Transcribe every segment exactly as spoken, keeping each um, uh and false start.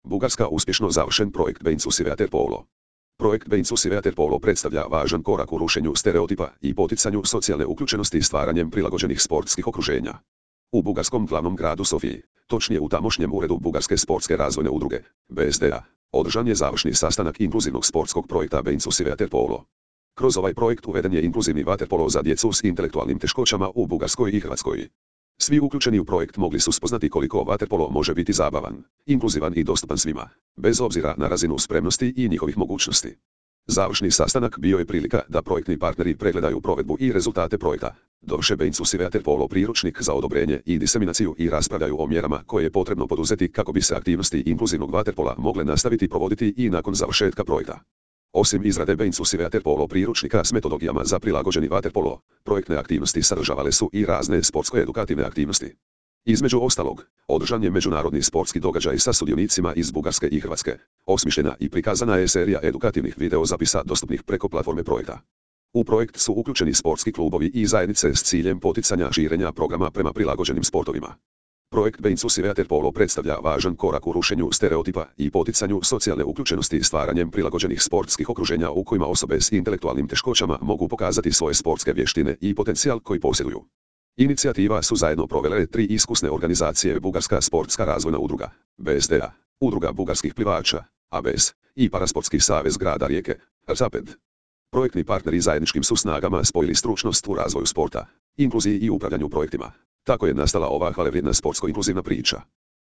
Bugarska uspješno završen projekt Beinclusive Waterpolo. Projekt Beinclusive Waterpolo predstavlja važan korak u rušenju stereotipa i poticanju socijalne uključenosti stvaranjem prilagođenih sportskih okruženja. U bugarskom glavnom gradu Sofiji, točnije u tamošnjem uredu Bugarske sportske razvojne udruge, B S D A, održan je završni sastanak inkluzivnog sportskog projekta Beinclusive Waterpolo. Kroz ovaj projekt uveden je inkluzivni vaterpolo za djecu s intelektualnim teškoćama u Bugarskoj i Hrvatskoj. Svi uključeni u projekt mogli su spoznati koliko vaterpolo može biti zabavan, inkluzivan i dostupan svima, bez obzira na razinu spremnosti i njihovih mogućnosti. Završni sastanak bio je prilika da projektni partneri pregledaju provedbu i rezultate projekta, dovrše Beinclusive Waterpolo priručnik za odobrenje i diseminaciju i raspravljaju o mjerama koje je potrebno poduzeti kako bi se aktivnosti inkluzivnog vaterpola mogle nastaviti provoditi i nakon završetka projekta. Osim izrade Beinclusive Waterpolo priručnika s metodologijama za prilagođeni vaterpolo, projektne aktivnosti sadržavale su i razne sportsko-edukativne aktivnosti. Između ostalog, održan je međunarodni sportski događaj sa sudionicima iz Bugarske i Hrvatske. Osmišljena i prikazana je serija edukativnih videozapisa dostupnih preko platforme projekta. U projekt su uključeni sportski klubovi i zajednice s ciljem poticanja širenja programa prema prilagođenim sportovima. Projekt Beinclusive Waterpolo predstavlja važan korak u rušenju stereotipa i poticanju socijalne uključenosti stvaranjem prilagođenih sportskih okruženja u kojima osobe s intelektualnim teškoćama mogu pokazati svoje sportske vještine i potencijal koji posjeduju. Inicijativa su zajedno provele tri iskusne organizacije: Bugarska sportska razvojna udruga, B S D A, Udruga bugarskih plivača, A B S, i Parasportski savez grada Rijeke, Zapad. Projektni partneri zajedničkim su snagama spojili stručnost u razvoju sporta, inkluziji i upravljanju projektima. Tako je nastala ova hvalevrijedna sportsko-inkluzivna priča.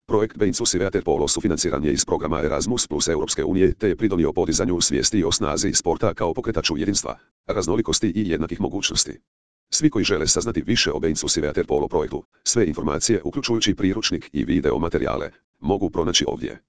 Projekt Beinclusive Waterpolo sufinanciran je iz programa Erasmus plus Europske unije te je pridonio podizanju svijesti o snazi sporta kao pokretaču jedinstva, raznolikosti i jednakih mogućnosti. Svi koji žele saznati više o Beinclusive Waterpolo projektu, sve informacije uključujući priručnik i video materijale, mogu pronaći ovdje.